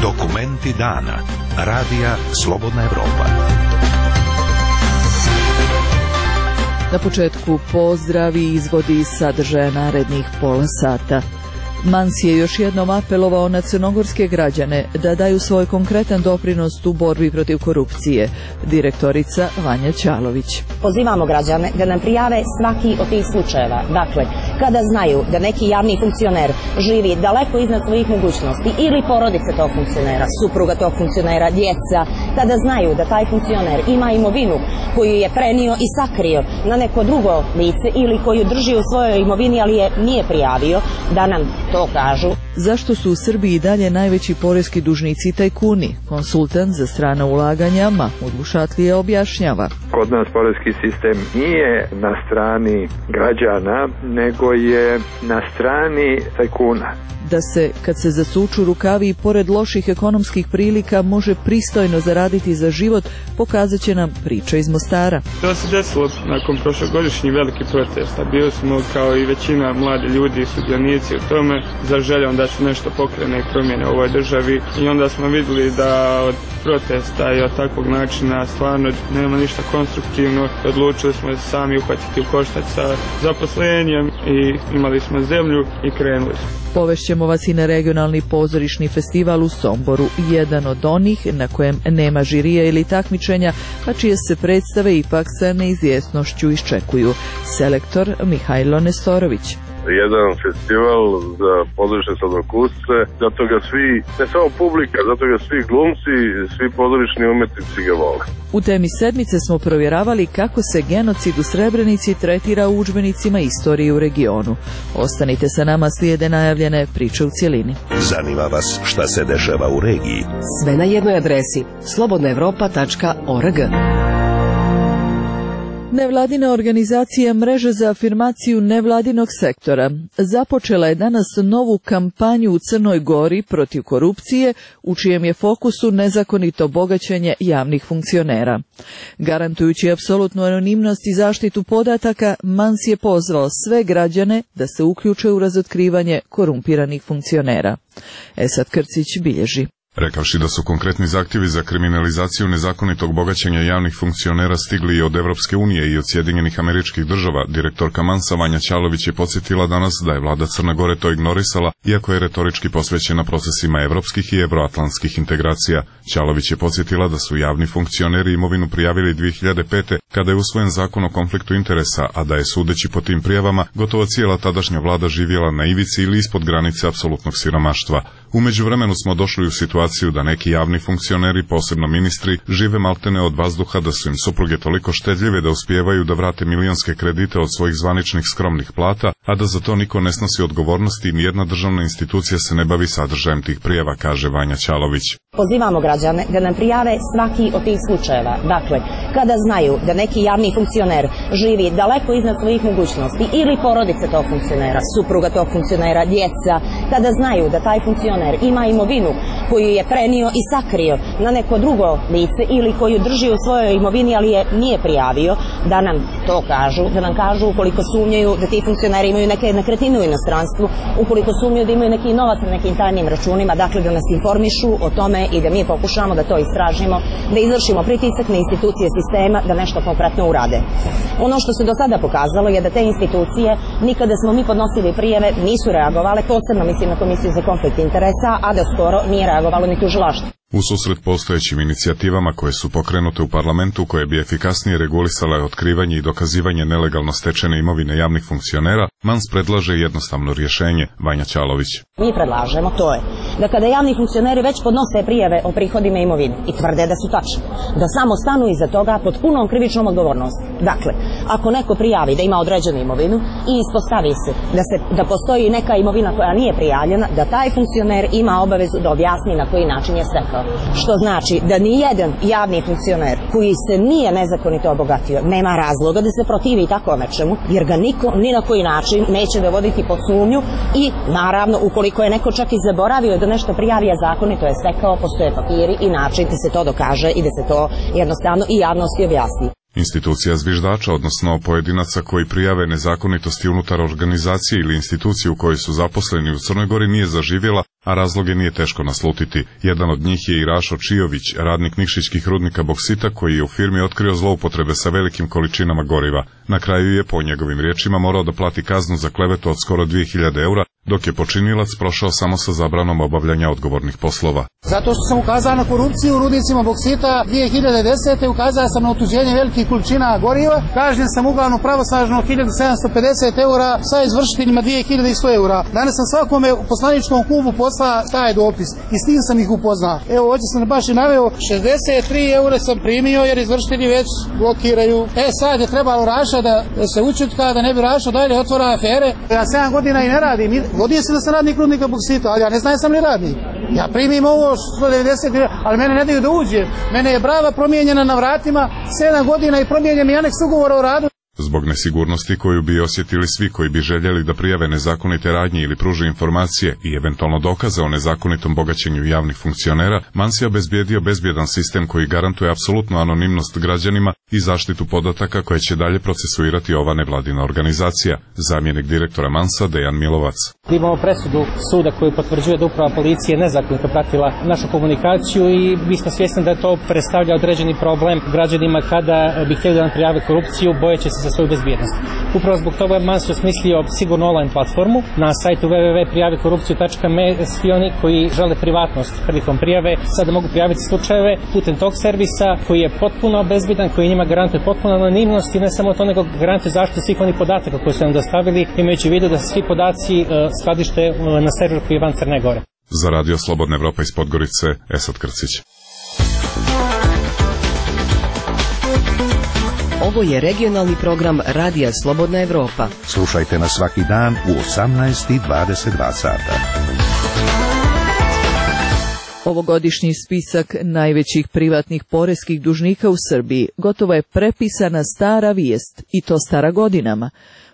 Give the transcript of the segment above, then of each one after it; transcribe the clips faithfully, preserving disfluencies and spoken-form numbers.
Dokumenti dana. Radija Slobodna Evropa. Na početku pozdrav i izvodi sadržaja narednih pola sata. Mans je još jednom apelovao na crnogorske građane da daju svoj konkretan doprinos u borbi protiv korupcije. Direktorica Vanja Ćalović. Pozivamo građane da nam prijave svaki od tih slučajeva. Dakle, kada znaju da neki javni funkcioner živi daleko iznad svojih mogućnosti ili porodice tog funkcionera, supruga tog funkcionera, djeca, kada znaju da taj funkcioner ima imovinu koju je prenio i sakrio na neko drugo lice ili koju drži u svojoj imovini, ali je nije prijavio, da nam to kažu. Zašto su u Srbiji dalje najveći poreski dužnici i tajkuni? Konsultant za strana ulaganja Mahmud Vušatlije objašnjava. Kod nas poreski sistem nije na strani građana, nego je na strani tajkuna. Da se, kad se zasuču rukavi i pored loših ekonomskih prilika, može pristojno zaraditi za život, pokazat će nam priča iz Mostara. To se desilo nakon prošlogodišnjih velikih protesta. Bili smo kao i većina mladi ljudi i sudionici u tome za željom da se nešto pokrene i promjene u ovoj državi. I onda smo vidjeli da od protesta i od takvog načina stvarno nema ništa konstruktivno. Odlučili smo se sami uhvatiti u koštac sa zaposlenjem i imali smo zemlju i krenuli smo. Povešćemo vas i na regionalni pozorišni festival u Somboru, jedan od onih na kojem nema žirija ili takmičenja, a čije se predstave ipak sa neizvjesnošću iščekuju. Selektor Mihajlo Nestorović. Jedan festival za pozorišne sladokusce, zato ga svi, ne samo publika, zato ga svi glumci, svi pozorišni umetnici ga vole. U temi sedmice smo provjeravali kako se genocid u Srebrenici tretira u udžbenicima istorije u regionu. Ostanite sa nama, slijede najavljene priče u cjelini. Zanima vas šta se dešava u regiji? Sve na jednoj adresi slobodna evropa tačka org. Nevladina organizacija Mreže za afirmaciju nevladinog sektora započela je danas novu kampanju u Crnoj Gori protiv korupcije, u čijem je fokusu nezakonito bogaćenje javnih funkcionera. Garantujući apsolutnu anonimnost i zaštitu podataka, Mans je pozvao sve građane da se uključe u razotkrivanje korumpiranih funkcionera. Esad Krcić bilježi. Rekavši da su konkretni zahtjevi za kriminalizaciju nezakonitog bogaćenja javnih funkcionera stigli i od Evropske unije i od Sjedinjenih Američkih Država, direktorka Mansa Vanja Ćalović je podsjetila danas da je vlada Crne Gore to ignorisala, iako je retorički posvećena procesima evropskih i evroatlantskih integracija. Ćalović je podsjetila da su javni funkcioneri imovinu prijavili dvije hiljade pete. kada je usvojen zakon o konfliktu interesa, a da je, sudeći po tim prijavama, gotovo cijela tadašnja vlada živjela na ivici ili ispod granice apsolutnog siromaštva. U međuvremenu smo došli u situaciju da neki javni funkcioneri, posebno ministri, žive maltene od vazduha, da su im supruge toliko štedljive da uspijevaju da vrate milionske kredite od svojih zvaničnih skromnih plata, a da za to niko ne snosi odgovornosti i nijedna državna institucija se ne bavi sadržajem tih prijava, kaže Vanja Ćalović. Pozivamo građane da nam prijave svaki od tih slučajeva. Dakle, kada znaju da neki javni funkcioner živi daleko iznad svojih mogućnosti ili porodice tog funkcionera, supruga tog funkcionera, djeca, kada znaju da taj funkcioner ima imovinu koju je prenio i sakrio na neko drugo lice ili koju drži u svojoj imovini, ali je nije prijavio, da nam to kažu, da nam kažu ukoliko sumnjaju da ti funkcioneri imaju neke nekretnine u inostranstvu, ukoliko sumnjaju da imaju neki novac na nekim tajnim računima, dakle da nas informišu o tome i da mi pokušamo da to istražimo, da izvršimo pritisak na institucije sistema da nešto konkretno urade. Ono što se do sada pokazalo je da te institucije, nikada smo mi podnosili prijave, nisu reagovale, posebno mislim na Komisiju za konflikt interesa, a da skoro nije reagovalo ni tužilaštvo. U susret postojećim inicijativama koje su pokrenute u parlamentu, koje bi efikasnije regulisale otkrivanje i dokazivanje nelegalno stečene imovine javnih funkcionera, Mans predlaže jednostavno rješenje. Vanja Ćalović. Mi predlažemo, to je, da kada javni funkcioneri već podnose prijave o prihodima imovine i tvrde da su tačne, da samo stanu iza toga pod punom krivičnom odgovornosti. Dakle, ako neko prijavi da ima određenu imovinu i ispostavi se da, se, da postoji neka imovina koja nije prijavljena, da taj funkcioner ima obavezu da objasni na koji način je stekao. Što znači da ni jedan javni funkcioner koji se nije nezakonito obogatio nema razloga da se protivi tako nečemu, jer ga niko ni na koji način neće dovoditi pod sumnju i naravno ukoliko je neko čak i zaboravio da nešto prijavi, a zakonito je stekao, postoje papiri i način da se to dokaže i da se to jednostavno i javnosti objasni. Institucija zviždača, odnosno pojedinaca koji prijave nezakonitosti unutar organizacije ili institucije u kojoj su zaposleni u Crnoj Gori, nije zaživjela, a razloge nije teško naslutiti. Jedan od njih je i Rašo Čijović, radnik nikšićkih rudnika boksita, koji je u firmi otkrio zloupotrebe sa velikim količinama goriva. Na kraju je, po njegovim riječima, morao da plati kaznu za klevetu od skoro dvije hiljade eura, dok je počinilac prošao samo sa zabranom obavljanja odgovornih poslova. Zato što sam ukazao na korupciju u rudnicima boksita dvije hiljade desete. ukazao sam na otuđenje velikih količina goriva, kažnjen sam uglavnom pravosnažno hiljadu sedamsto pedeset eura, sa izvršiteljima dvije hiljade sto eura. Danas sam svakome u poslaničkom klubu poslao taj dopis i s tim sam ih upoznao. Evo, ovdje sam baš i naveo, šezdeset tri eura sam primio jer izvršitelji već blokiraju. E sad je trebalo Raša da se učutka, da ne bi Raša dalje otvora afere. Ja sedam godina i ne radim. Godio se da sam radnik rudnika boksita, ali ja ne znam sam li radnik. Ja primim ovo sto devedeset, ali mene ne daju da uđe. Mene je brava promijenjena na vratima, sedam godina i promijenjen mi aneks ugovora o radu. Zbog nesigurnosti koju bi osjetili svi koji bi željeli da prijave nezakonite radnje ili pruže informacije i eventualno dokaze o nezakonitom bogaćenju javnih funkcionera, Mans je obezbijedio bezbjedan sistem koji garantuje apsolutnu anonimnost građanima i zaštitu podataka koje će dalje procesuirati ova nevladina organizacija. Zamjenik direktora Mansa Dejan Milovac. Imamo presudu suda koju potvrđuje da uprava policije nezakonito pratila našu komunikaciju i mi smo svjesni da to predstavlja određeni problem građanima kada bi htjeli da nam prijave korupciju, bojeći se za svoju bezbjednost. Upravo zbog toga je Mans osmislio sigurno online platformu na sajtu w w w tačka prijavi korupciju tačka me. Svi oni koji žele privatnost prilikom prijave sada mogu prijaviti slučajeve putem tog servisa koji je potpuno bezbjedan, koji njima garantuje potpuno anonimnost i ne samo to, nego garantuje zaštitu svih onih podataka koje su nam dostavili, imajući u vidu da se svi podaci uh, skladište uh, na serveru koji je van Crne Gore. Za Radio Slobodna Evropa iz Podgorice, Esad Krcić. Ovo je regionalni program Radija Slobodna Evropa. Slušajte nas svaki dan u osamnaest i dvadeset dva sata. Ovogodišnji spisak najvećih privatnih poreskih dužnika u Srbiji gotovo je prepisana stara vijest, i to stara godinama.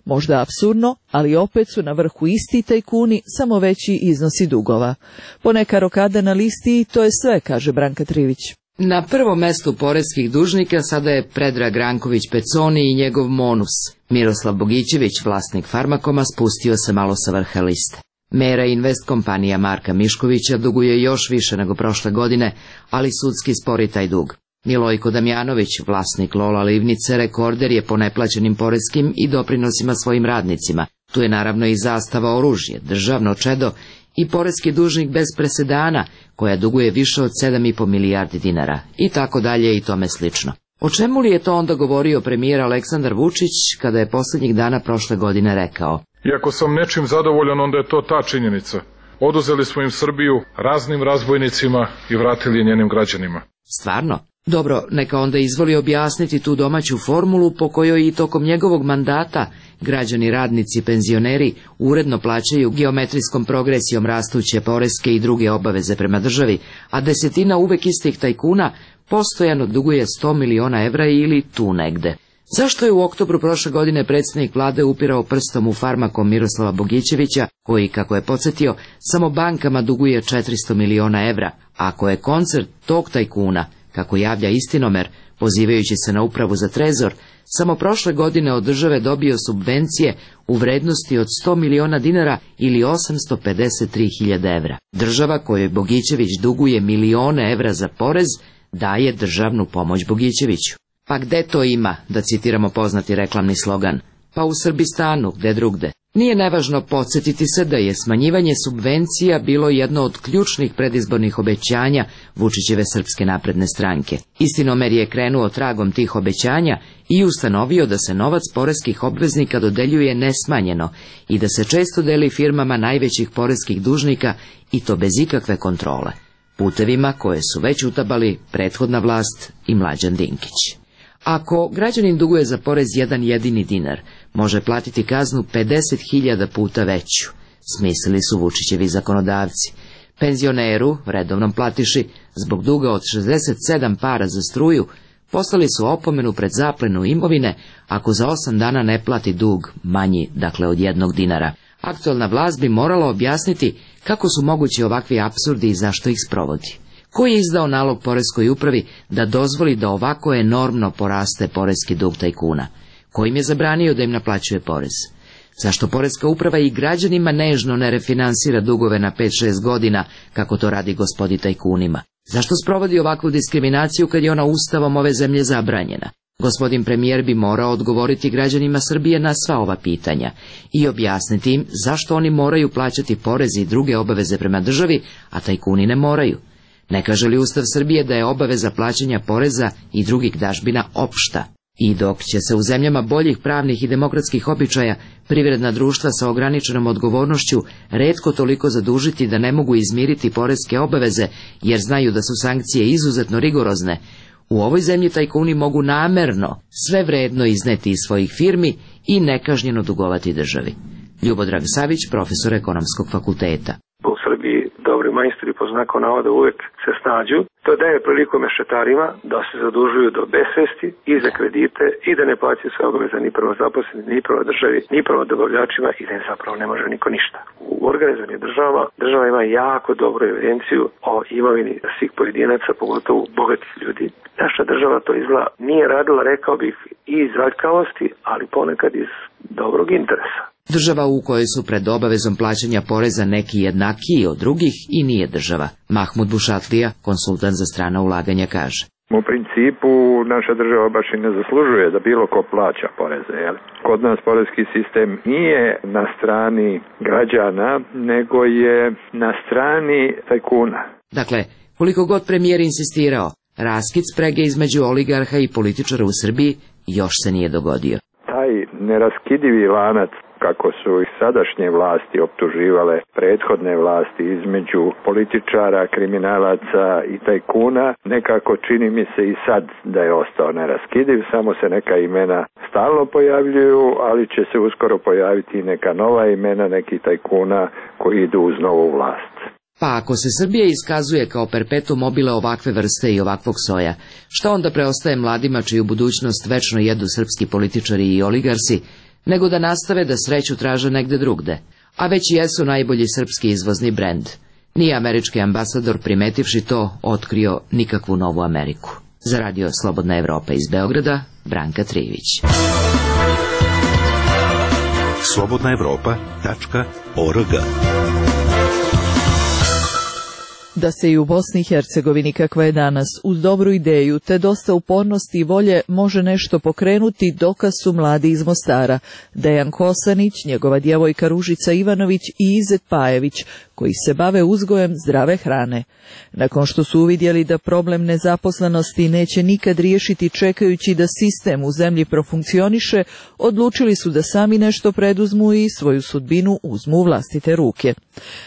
Možda apsurdno, ali opet su na vrhu isti tajkuni, samo veći iznosi dugova. Poneka rokada na listi i to je sve, kaže Branka Trivić. Na prvom mestu poreskih dužnika sada je Predrag Ranković Peconi i njegov Monus. Miroslav Bogićević, vlasnik Farmakoma, spustio se malo sa vrha liste. Mera Invest kompanija Marka Miškovića duguje još više nego prošle godine, ali sudski spori taj dug. Milojko Damjanović, vlasnik Lola Livnice, rekorder je po neplaćenim poreskim i doprinosima svojim radnicima. Tu je naravno i Zastava oružje, državno čedo i poreski dužnik bez presedana, koja duguje više od sedam i po milijardi dinara, i tako dalje i tome slično. O čemu li je to onda govorio premijer Aleksandar Vučić kada je posljednjih dana prošle godine rekao: Iako sam nečim zadovoljan, onda je to ta činjenica. Oduzeli smo im Srbiju raznim razbojnicima i vratili njenim građanima. Stvarno? Dobro, neka onda izvoli objasniti tu domaću formulu po kojoj i tokom njegovog mandata građani, radnici, penzioneri uredno plaćaju geometrijskom progresijom rastuće poreske i druge obaveze prema državi, a desetina uvek istih tajkuna postojano duguje sto miliona evra ili tu negde. Zašto je u oktobru prošle godine predsjednik vlade upirao prstom u Farmakom Miroslava Bogićevića, koji, kako je podsjetio, samo bankama duguje četiristo miliona evra, ako je koncert tog tajkuna, kako javlja Istinomer, pozivajući se na upravu za trezor, samo prošle godine od države dobio subvencije u vrednosti od sto miliona dinara ili osamsto pedeset tri hiljade evra. Država kojoj Bogićević duguje milione evra za porez, daje državnu pomoć Bogićeviću. Pa gde to ima, da citiramo poznati reklamni slogan? Pa u Srbistanu, gde drugde. Nije nevažno podsjetiti se da je smanjivanje subvencija bilo jedno od ključnih predizbornih obećanja Vučićeve Srpske napredne stranke. Istinomer je krenuo tragom tih obećanja i ustanovio da se novac poreskih obveznika dodeljuje nesmanjeno i da se često deli firmama najvećih poreskih dužnika, i to bez ikakve kontrole, putevima koje su već utabali prethodna vlast i Mlađan Dinkić. Ako građanin duguje za porez jedan jedini dinar, može platiti kaznu pedeset hiljada puta veću, smislili su Vučićevi zakonodavci. Penzioneru, redovnom platiši, zbog duga od šezdeset sedam para za struju, poslali su opomenu pred zaplenu imovine ako za osam dana ne plati dug manji, dakle od jednog dinara. Aktualna vlast bi morala objasniti kako su mogući ovakvi apsurdi i zašto ih sprovodi. Ko je izdao nalog poreskoj upravi da dozvoli da ovako enormno poraste poreski dug tajkuna? Ko im je zabranio da im naplaćuje porez? Zašto poreska uprava i građanima nežno ne refinansira dugove na pet šest godina, kako to radi gospodi tajkunima? Zašto sprovodi ovakvu diskriminaciju kad je ona ustavom ove zemlje zabranjena? Gospodin premijer bi morao odgovoriti građanima Srbije na sva ova pitanja i objasniti im zašto oni moraju plaćati porez i druge obaveze prema državi, a tajkuni ne moraju. Ne kaže li Ustav Srbije da je obaveza plaćanja poreza i drugih dažbina opšta? I dok će se u zemljama boljih pravnih i demokratskih običaja privredna društva sa ograničenom odgovornošću retko toliko zadužiti da ne mogu izmiriti poreske obaveze jer znaju da su sankcije izuzetno rigorozne, u ovoj zemlji tajkuni mogu namerno sve vredno izneti iz svojih firmi i nekažnjeno dugovati državi. Ljubodrag Savić, profesor Ekonomskog fakulteta. U Srbiji dobri majstori po znaku navoda uvek se snađu. To daje priliku mešetarima da se zadužuju do besvesti i za kredite i da ne plaćaju sve obaveze ni prema zaposlenim, ni prema državi, ni prema dobavljačima i da im zapravo ne može niko ništa. U organizovanim državama država ima jako dobru evidenciju o imovini svih pojedinaca, pogotovo bogatih ljudi. Naša država to izgleda nije radila, rekao bih, i iz aljkavosti, ali ponekad iz dobrog interesa. Država u kojoj su pred obavezom plaćanja poreza neki jednakiji od drugih i nije država. Mahmud Bušatlija, konsultant za strana ulaganja, kaže. U principu naša država baš i ne zaslužuje da bilo ko plaća poreze. Jel? Kod nas porezki sistem nije na strani građana, nego je na strani tajkuna. Dakle, koliko god premijer insistirao, raskid sprege između oligarha i političara u Srbiji još se nije dogodio. Taj neraskidivi lanac, kako su ih sadašnje vlasti optuživale prethodne vlasti između političara, kriminalaca i tajkuna, nekako čini mi se i sad da je ostao neraskidiv, samo se neka imena stalno pojavljuju, ali će se uskoro pojaviti i neka nova imena nekih tajkuna koji idu uz novu vlast. Pa ako se Srbija iskazuje kao perpetuum mobile ovakve vrste i ovakvog soja, šta onda preostaje mladima čiju budućnost večno jedu srpski političari i oligarsi, nego da nastave da sreću traže negde drugde, a već jesu najbolji srpski izvozni brend. Nije američki ambasador, primetivši to, otkrio nikakvu novu Ameriku. Za radio Slobodna Evropa iz Beograda, Branka Trivić. slobodna evropa tačka org Da se i u Bosni i Hercegovini, kakva je danas, uz dobru ideju te dosta upornosti i volje može nešto pokrenuti, dokaz su mladi iz Mostara, Dejan Kosanić, njegova djevojka Ružica Ivanović i Izet Pajević, koji se bave uzgojem zdrave hrane. Nakon što su uvidjeli da problem nezaposlenosti neće nikad riješiti čekajući da sistem u zemlji profunkcioniše, odlučili su da sami nešto preduzmu i svoju sudbinu uzmu u vlastite ruke.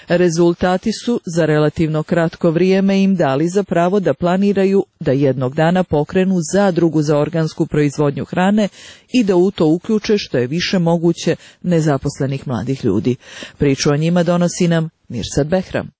Rezultati su za relativno kratko vrijeme im dali za pravo da planiraju da jednog dana pokrenu zadrugu za organsku proizvodnju hrane i da u to uključe što je više moguće nezaposlenih mladih ljudi. Priču o njima donosi nam Mirsad Behram.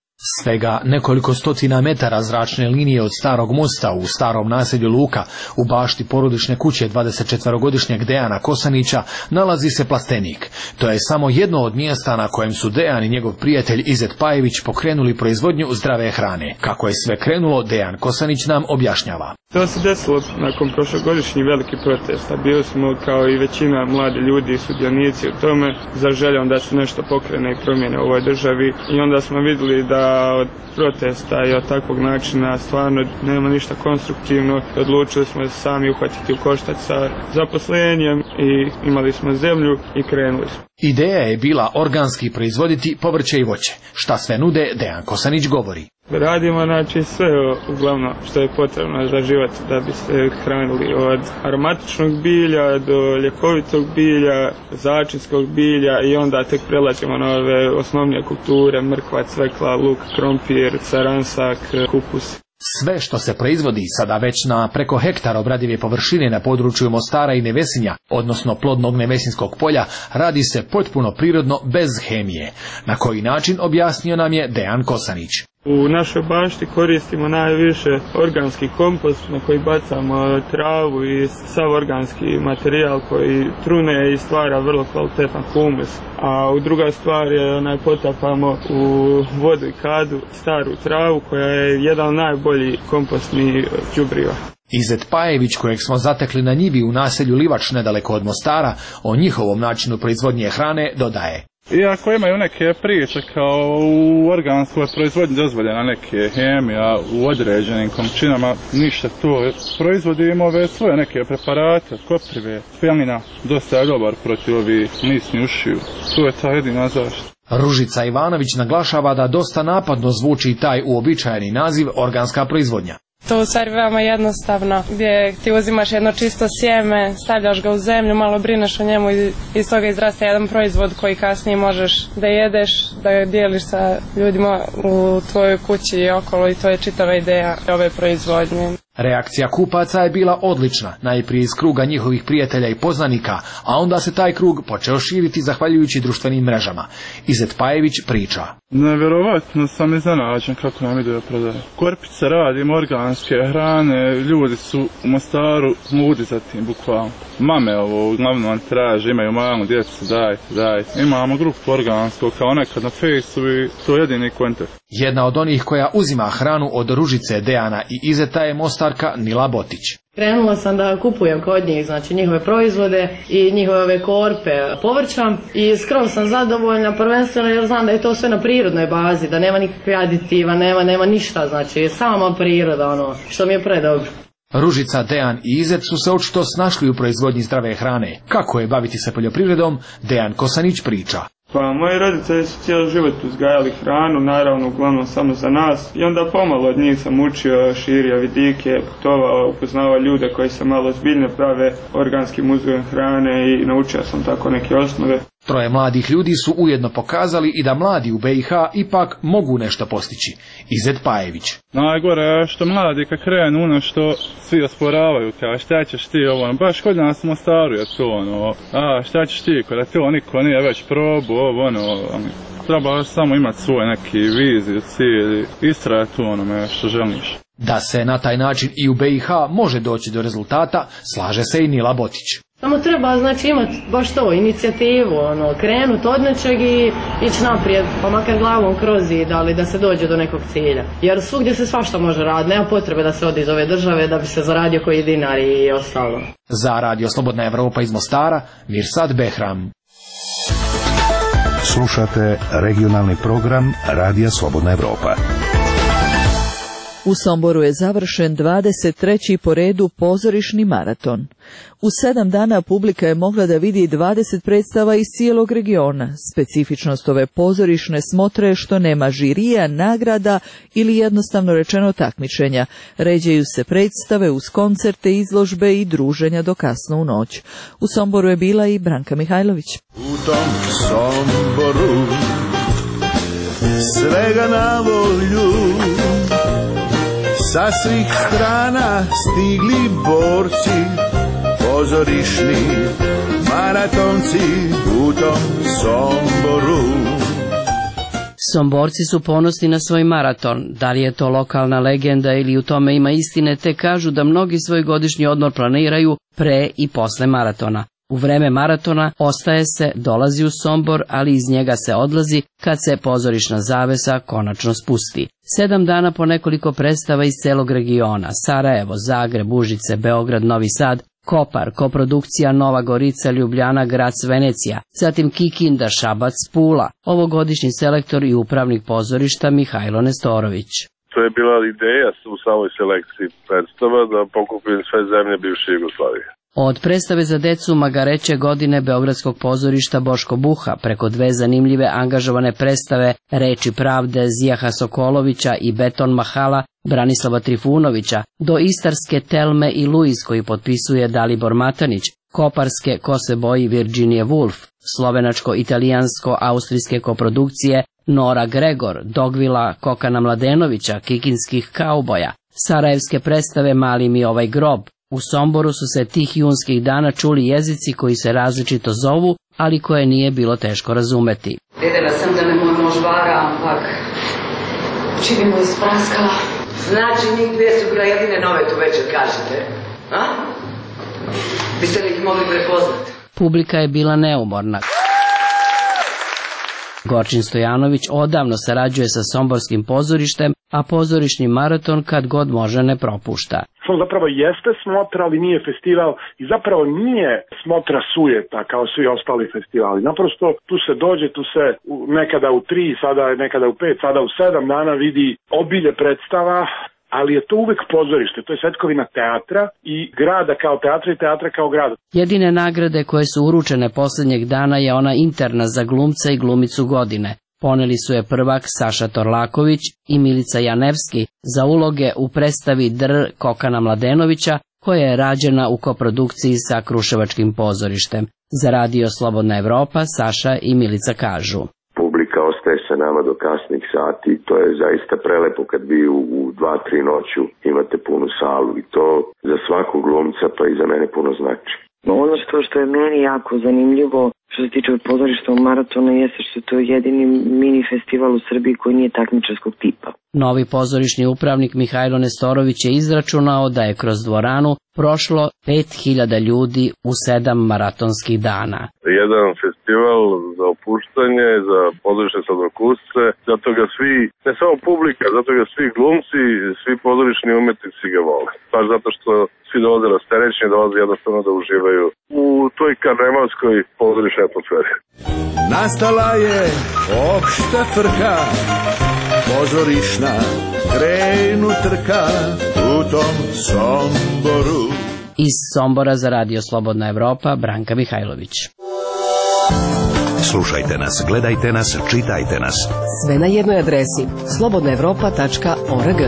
Svega nekoliko stotina metara zračne linije od starog mosta u starom naselju Luka u bašti porodične kuće dvadesetčetvorogodišnjeg Dejana Kosanića nalazi se plastenik. To je samo jedno od mjesta na kojem su Dejan i njegov prijatelj Izet Pajević pokrenuli proizvodnju zdrave hrane. Kako je sve krenulo, Dejan Kosanić nam objašnjava. To se desilo nakon prošlogodišnjih velikih protesta. Bili smo kao i većina mladi ljudi i sudionici u tome za željom da se nešto pokrene i promijene u ovoj državi i onda smo vidjeli da od protesta i od takvog načina stvarno nema ništa konstruktivno. Odlučili smo se sami uhvatiti u koštac sa zaposlenjem i imali smo zemlju i krenuli smo. Ideja je bila organski proizvoditi povrće i voće. Šta sve nude, Dejan Kosanić govori. Radimo znači sve uglavnom što je potrebno za život da bi se hranili, od aromatičnog bilja do ljekovitog bilja, začinskog bilja i onda tek prelaćemo na ove osnovnije kulture, mrkva, cvekla, luk, krompir, caransak, kupus. Sve što se proizvodi sada već na preko hektara obradive površine na području Mostara i Nevesinja, odnosno plodnog Nevesinskog polja, radi se potpuno prirodno bez hemije. Na koji način, objasnio nam je Dejan Kosanić. U našoj bašti koristimo najviše organski kompost na koji bacamo travu i sav organski materijal koji trune i stvara vrlo kvalitetan humus. A u druga stvar je onaj potapamo u vodu i kadu staru travu koja je jedan od najboljih kompostnih đubriva. Izet Pajević, kojeg smo zatekli na njivi u naselju Livač nedaleko od Mostara, o njihovom načinu proizvodnje hrane dodaje. Iako imaju neke priče kao u organskoj proizvodnji dozvoljena neke hemija u određenim količinama, ništa to. Proizvodimo ove svoje neke preparate, koprive, pelina, dosta je dobar protiv ovih nisni ušiju. To je ta jedina zaštita. Ružica Ivanović naglašava da dosta napadno zvuči taj uobičajeni naziv organska proizvodnja. To u stvari veoma jednostavno, gdje ti uzimaš jedno čisto sjeme, stavljaš ga u zemlju, malo brineš o njemu i iz toga izraste jedan proizvod koji kasnije možeš da jedeš, da ga dijeliš sa ljudima u tvojoj kući i okolo i to je čitava ideja ove proizvodnje. Reakcija kupaca je bila odlična, najprije iz kruga njihovih prijatelja i poznanika, a onda se taj krug počeo širiti zahvaljujući društvenim mrežama. Izet Pajević priča. Nevjerovatno sam iznenađen kako nam ide prodaje. Korpice radim, organske hrane, ljudi su u Mostaru ludi za tim, bukvalno. Mame ovo uglavnom traže, imaju malu djecu, dajte, dajte. Imamo grupu organskog kao nekad na Fejsu i to je jedini kontakt. Jedna od onih koja uzima hranu od Ružice, Dejana i Izeta je Mostarka Nila Botić. Krenula sam da kupujem kod njih, znači njihove proizvode i njihove ove korpe povrća i skroz sam zadovoljna, prvenstveno jer znam da je to sve na prirodnoj bazi, da nema nikakve aditiva, nema, nema ništa, znači sama priroda, ono, što mi je predobro. Ružica, Dejan i Izet su se očito snašli u proizvodnji zdrave hrane. Kako je baviti se poljoprivredom, Dejan Kosanić priča. Pa moji roditelji su cijeli život uzgajali hranu, naravno uglavnom samo za nas i onda pomalo od njih sam učio, širio vidike, putovao, upoznavao ljude koji se malo zbiljno prave organskim uzgojem hrane i naučio sam tako neke osnove. Troje mladih ljudi su ujedno pokazali i da mladi u B i H ipak mogu nešto postići. Izet Pajević. Najgore je što mladi kad krenu ono što svi osporavaju, kao šta ćeš ti ovo, baš kod nas u Mostaru je to ono, a šta ćeš ti, kada to niko nije već probu, ovo ono, treba samo imati svoj neki viziju, cilj, istrajati u onome što želiš. Da se na taj način i u B i H može doći do rezultata, slaže se i Nila Botić. Samo treba, znači, imati baš to, inicijativu, ono, krenuti od nečeg i ići naprijed, pa makar glavom kroz zid, ali da se dođe do nekog cilja. Jer svugdje se svašta može raditi, nema potrebe da se odi iz ove države da bi se zaradio koji dinar i ostalo. Za Radio Slobodna Evropa iz Mostara, Mirsad Behram. Slušate regionalni program Radija Slobodna Evropa. U Somboru je završen dvadeset treći po redu pozorišni maraton. U sedam dana publika je mogla da vidi dvadeset predstava iz cijelog regiona. Specifičnost ove pozorišne smotre je što nema žirija, nagrada ili jednostavno rečeno takmičenja. Ređaju se predstave uz koncerte, izložbe i druženja do kasno u noć. U Somboru je bila i Branka Mihajlović. U tom Somboru svega na volju, sa svih strana stigli borci, pozorišni maratonci u tom Somboru. Somborci su ponosni na svoj maraton. Da li je to lokalna legenda ili u tome ima istine, te kažu da mnogi svoj godišnji odmor planiraju pre i posle maratona. U vreme maratona ostaje se, dolazi u Sombor, ali iz njega se odlazi kad se pozorišna zavesa konačno spusti. Sedam dana po nekoliko predstava iz celog regiona, Sarajevo, Zagreb, Užice, Beograd, Novi Sad, Kopar, koprodukcija Nova Gorica, Ljubljana, Grac, Venecija, zatim Kikinda, Šabac, Pula, ovogodišnji selektor i upravnik pozorišta Mihajlo Nestorović. To je bila ideja u samoj selekciji predstava da pokupim sve zemlje bivše Jugoslavije. Od predstave za decu Magareće godine Beogradskog pozorišta Boško Buha preko dve zanimljive angažovane predstave Reči pravde Zijaha Sokolovića i Beton Mahala Branislava Trifunovića do istarske Telme i Luiz koji potpisuje Dalibor Matanić, koparske Ko se boji Virginia Woolf, slovenačko-italijansko-austrijske koprodukcije Nora Gregor, Dogvila Kokana Mladenovića, kikinskih kauboja, sarajevske predstave Mali mi ovaj grob. U Somboru su se tih junskih dana čuli jezici koji se različito zovu, ali koje nije bilo teško razumeti. Vedela sam da ne moj mož vara, ampak Oči bi mu ispraskala. Znači, njih dvije su bila jedine nove tu večer, kažete? A? Biste li ih mogli prepoznati? Publika je bila neumorna. Gorčin Stojanović odavno sarađuje sa somborskim pozorištem, a pozorišni maraton kad god može ne propušta. On zapravo jeste smotra, ali nije festival i zapravo nije smotra sujeta kao svi ostali festivali. Naprosto tu se dođe, tu se nekada u tri, sada nekada u pet, sada u sedam dana vidi obilje predstava, ali je to uvek pozorište, to je svetkovina teatra i grada kao teatra i teatra kao grada. Jedine nagrade koje su uručene posljednjeg dana je ona interna za glumca i glumicu godine. Poneli su je prvak Saša Torlaković i Milica Janevski za uloge u predstavi Dr. Kokana Mladenovića, koja je rađena u koprodukciji sa Kruševačkim pozorištem. Za radio Slobodna Evropa Saša i Milica kažu: Publika ostaje sa nama do kasnih sati, to je zaista prelepo kad vi u, u dva, tri noću imate punu salu i to za svakog glumca pa i za mene puno znači. Ono što, što je meni jako zanimljivo što se tiče pozorišta u maratonu jeste što je to jedini mini festival u Srbiji koji nije takmičarskog tipa. Novi pozorišni upravnik Mihajlo Nestorović je izračunao da je kroz dvoranu prošlo pet hiljada ljudi u sedam maratonskih dana. Jedan festival za opuštanje, za pozorišne sladokusce, zato ga svi, ne samo publika, zato ga svi glumci, svi pozorišni umetnici ga vole. Baš zato što svi dolaze rasterećeni, dolaze jednostavno da uživaju u toj karnevalskoj pozorišnoj atmosferi. Nastala je opšta frka, pozorišna, krenu trka u tom Somboru. Iz Sombora za radio Slobodna Evropa, Branka Mihajlović. Slušajte nas, gledajte nas, čitajte nas. Sve na jednoj adresi slobodna evropa tačka org.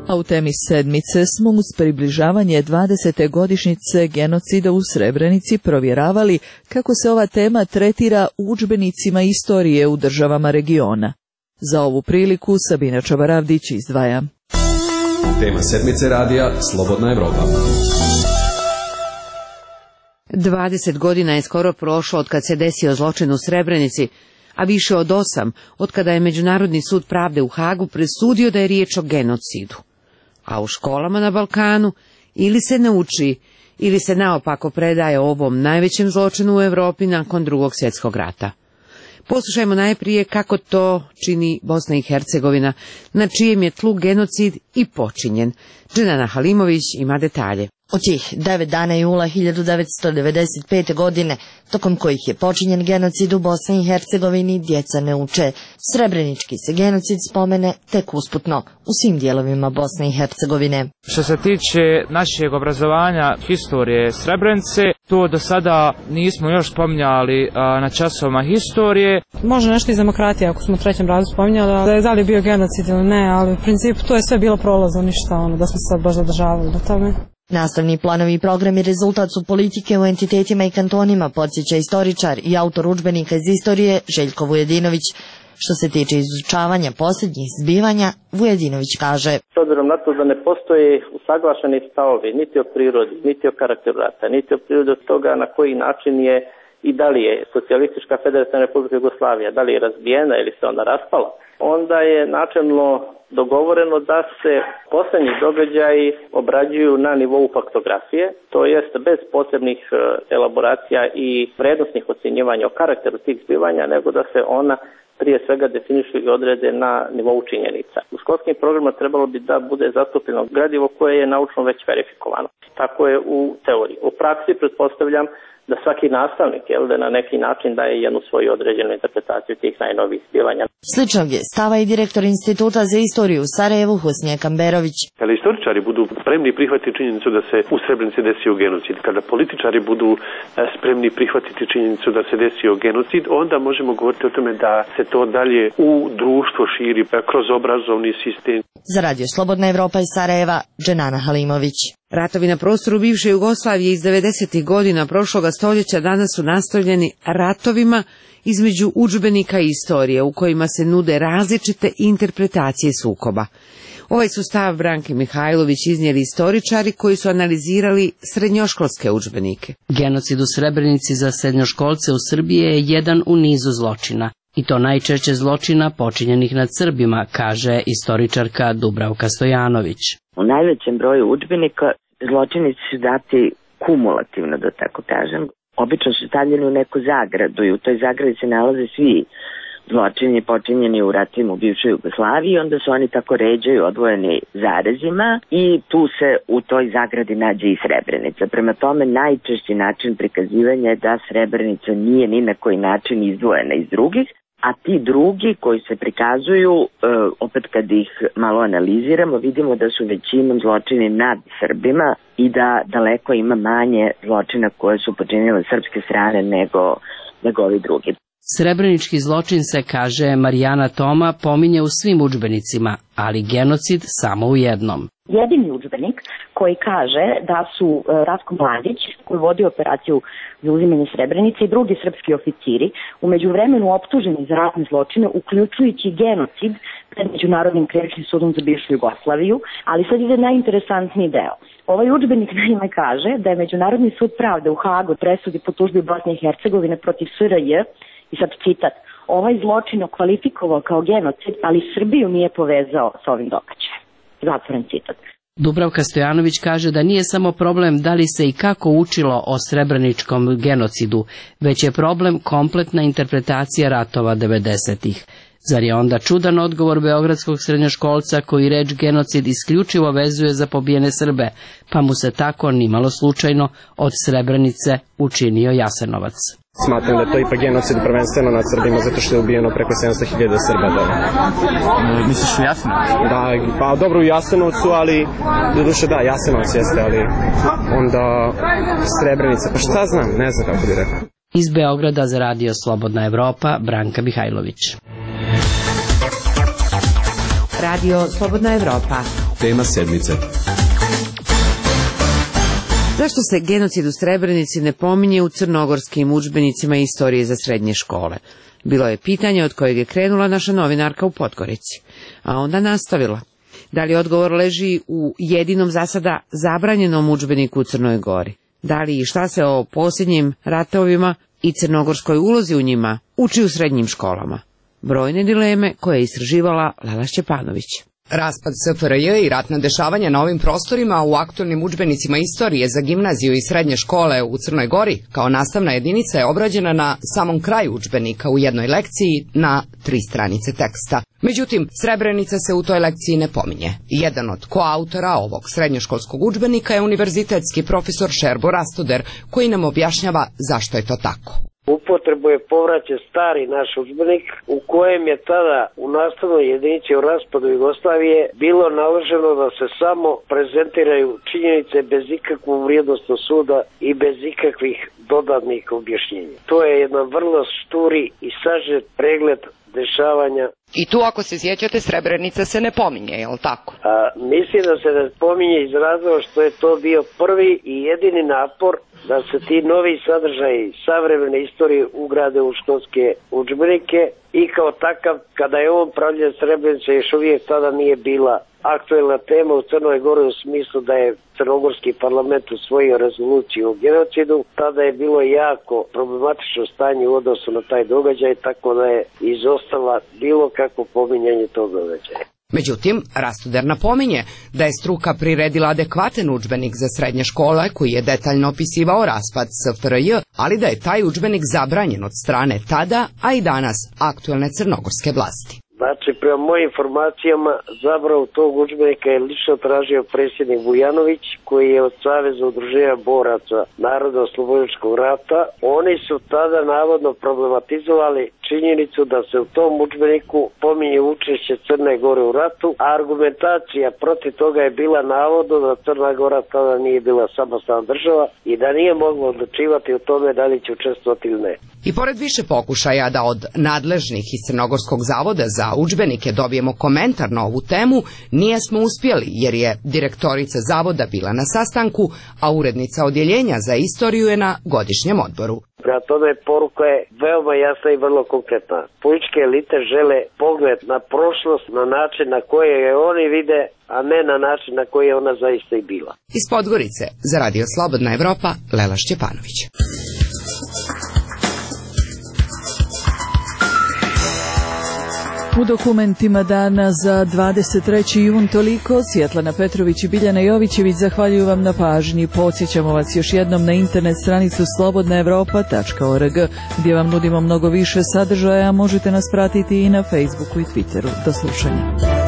A u temi sedmice smo uz približavanje dvadesete godišnjice genocida u Srebrenici provjeravali kako se ova tema tretira u udžbenicima istorije u državama regiona. Za ovu priliku Sabina Čabaravdić izdvaja. Tema sedmice radija Slobodna Evropa. dvadeset godina je skoro prošlo od kad se desio zločin u Srebrenici, a više od osam od kada je Međunarodni sud pravde u Hagu presudio da je riječ o genocidu. A u školama na Balkanu ili se ne uči, ili se naopako predaje o ovom najvećem zločinu u Europi nakon Drugog svjetskog rata. Poslušajmo najprije kako to čini Bosna i Hercegovina, na čijem je tlu genocid i počinjen. Dženana Halimović ima detalje. U tih devet dana jula hiljadu devetsto devedeset pete. godine, tokom kojih je počinjen genocid u Bosni i Hercegovini, djeca ne uče. Srebrenički se genocid spomene tek usputno u svim dijelovima Bosne i Hercegovine. Što se tiče našeg obrazovanja historije Srebrenice, to do sada nismo još spominjali a, na časovima historije. Može nešto iz demokratije, ako smo u trećem radu spominjali, da je da li bio genocid ili ne, ali u principu to je sve bilo prolazno, ništa ono, da smo se sad baš zadržavali do tome. Nastavni planovi i programi rezultat su politike u entitetima i kantonima, podsjeća istoričar i autor udžbenika iz istorije Željko Vujedinović. Što se tiče izučavanja posljednjih zbivanja, Vujedinović kaže: S obzirom na to da ne postoje usaglašeni stavovi niti o prirodi, niti o karakteru rata, niti o prirodi toga na koji način je i da li je socijalistička federativna republika Jugoslavija, da li je razbijena ili se ona raspala, onda je načelno dogovoreno da se posljednji događaji obrađuju na nivou faktografije, to jest bez posebnih elaboracija i vrednostnih ocjenjivanja o karakteru tih zbivanja, nego da se ona prije svega definišu i odrede na nivou činjenica. U školskim programima trebalo bi da bude zastupljeno gradivo koje je naučno već verifikovano. Tako je u teoriji. U praksi pretpostavljam da svaki nastavnik jel, da na neki način daje jednu svoju određenu interpretaciju tih najnovijih zbivanja. Sličnog je stava i direktor Instituta za istoriju u Sarajevu Husnije Kamberović. Kada istoričari budu spremni prihvatiti činjenicu da se u Srebrenici desio genocid, kada političari budu spremni prihvatiti činjenicu da se desio genocid, onda možemo govoriti o tome da se to dalje u društvo širi kroz obrazovni sistem. Za radio Slobodna Evropa iz Sarajeva, Dženana Halimović. Ratovi na prostoru bivše Jugoslavije iz devedesetih godina prošloga stoljeća danas su nastavljeni ratovima između udžbenika i istorije u kojima se nude različite interpretacije sukoba. Ovaj su stav Branke Mihajlović iznijeli istoričari koji su analizirali srednjoškolske udžbenike. Genocid u Srebrenici za srednjoškolce u Srbiji je jedan u nizu zločina. I to najčešće zločina počinjenih nad Srbima, kaže istoričarka Dubravka Stojanović. U najvećem broju udžbenika zločini su dati kumulativno, da tako kažem. Obično su stavljeni u neku zagradu i u toj zagradi se nalaze svi zločini počinjeni u ratovima u bivšoj Jugoslaviji, onda se oni tako ređaju odvojeni zarezima i tu se u toj zagradi nađe i Srebrenica. Prema tome, najčešći način prikazivanja je da Srebrenica nije ni na koji način izdvojena iz drugih, a ti drugi koji se prikazuju, opet kad ih malo analiziramo, vidimo da su većinom zločini nad Srbima i da daleko ima manje zločina koje su počinile srpske strane nego, nego ovi drugi. Srebrenički zločin se, kaže Marijana Toma, pominje u svim udžbenicima, ali genocid samo u jednom. Jedini udžbenik koji kaže da su Ratko Mladić, koji vodi operaciju za uzimanje Srebrenice, i drugi srpski oficiri u međuvremenu optuženi za ratne zločine, uključujući genocid pred Međunarodnim krivičnim sudom za bivšu Jugoslaviju, ali sad ide najinteresantniji deo. Ovaj udžbenik naime kaže da je Međunarodni sud pravde u Hagu presudi po tužbi Bosne i Hercegovine protiv S R J, i sad citat, ovaj zločin okvalifikovao kao genocid, ali Srbiju nije povezao s ovim događajem. Zatvoren citat. Dubravka Stojanović kaže da nije samo problem da li se i kako učilo o srebreničkom genocidu, već je problem kompletna interpretacija ratova devedesetih. Zar je onda čudan odgovor beogradskog srednjoškolca koji reč genocid isključivo vezuje za pobijene Srbe, pa mu se tako nimalo slučajno od Srebrenice učinio Jasenovac. Smatram da je to ipak genocid prvenstveno nad Srbima zato što je ubijeno preko sedamsto hiljada Srba. Da. E, misliš u Jasenovcu? Da, pa dobro u Jasenovcu, ali do duše da, Jasenovac jeste, ali onda Srebrenica, pa šta znam, ne znam kako bi rekao. Iz Beograda za radio Slobodna Evropa, Branka Mihajlović. Radio Slobodna Evropa. Tema sedmice. Zašto se genocid u Srebrenici ne pominje u crnogorskim udžbenicima istorije za srednje škole? Bilo je pitanje od kojeg je krenula naša novinarka u Podgorici, a onda nastavila. Da li odgovor leži u jedinom za sada zabranjenom udžbeniku u Crnoj Gori? Da li i šta se o posljednjim ratovima i crnogorskoj ulozi u njima uči u srednjim školama? Brojne dileme koje je istraživala Lela Šćepanović. Raspad S F R J i ratna dešavanja na ovim prostorima u aktualnim udžbenicima istorije za gimnaziju i srednje škole u Crnoj Gori kao nastavna jedinica je obrađena na samom kraju udžbenika u jednoj lekciji na tri stranice teksta. Međutim, Srebrenica se u toj lekciji ne pominje. Jedan od koautora ovog srednjoškolskog udžbenika je univerzitetski profesor Šerbo Rastuder, koji nam objašnjava zašto je to tako. Upotrebu je povraćen stari naš udžbenik u kojem je tada u nastavnoj jedinici o raspadu Jugoslavije bilo naloženo da se samo prezentiraju činjenice bez ikakvog vrijednosnog suda i bez ikakvih dodatnih objašnjenja. To je jedan vrlo šturi i sažet pregled dešavanja. I tu, ako se sjećate, Srebrenica se ne pominje, je li tako? A, mislim da se ne pominje iz razloga što je to bio prvi i jedini napor da se ti novi sadržaji savremene istorije ugrade u školske udžbenike i kao takav, kada je on pravljen, Srebrenica još uvijek tada nije bila aktuelna tema u Crnoj Gori u smislu da je crnogorski parlament usvojio rezoluciju o genocidu. Tada je bilo jako problematično stanje u odnosu na taj događaj, tako da je izostala bilo kako pominjanje tog događaja. Međutim, Rastuder napominje da je struka priredila adekvatan udžbenik za srednje škole koji je detaljno opisivao raspad S F R J, ali da je taj udžbenik zabranjen od strane tada, a i danas aktuelne crnogorske vlasti. Znači, prema mojim informacijama, zabravu tog udžbenika je lično tražio predsjednik Vujanović, koji je od Saveza udruženja boraca Narodno-oslobodilačkog rata. Oni su tada navodno problematizovali činjenicu da se u tom udžbeniku pominje učešće Crne Gore u ratu, a argumentacija protiv toga je bila navodno da Crna Gora tada nije bila samostalna država i da nije mogla odlučivati o tome da li će učestvovati ili ne. I pored više pokušaja da od nadležnih iz Crnogorskog zavoda za udžbenike dobijemo komentar na ovu temu, nije smo uspjeli jer je direktorica zavoda bila na sastanku, a urednica odjeljenja za istoriju je na godišnjem odboru. Prema tome, poruka je veoma jasna i vrlo konkretna. Političke elite žele pogled na prošlost na način na koji je oni vide, a ne na način na koji je ona zaista i bila. Iz Podgorice za radio Slobodna Evropa, Lela Šćepanović. U dokumentima dana za dvadeset treći jun toliko. Svjetlana Petrović i Biljana Jovićević zahvaljuju vam na pažnji. Podsjećamo vas još jednom na internet stranicu slobodna evropa tačka org gdje vam nudimo mnogo više sadržaja, a možete nas pratiti i na Facebooku i Twitteru. Do slušanja.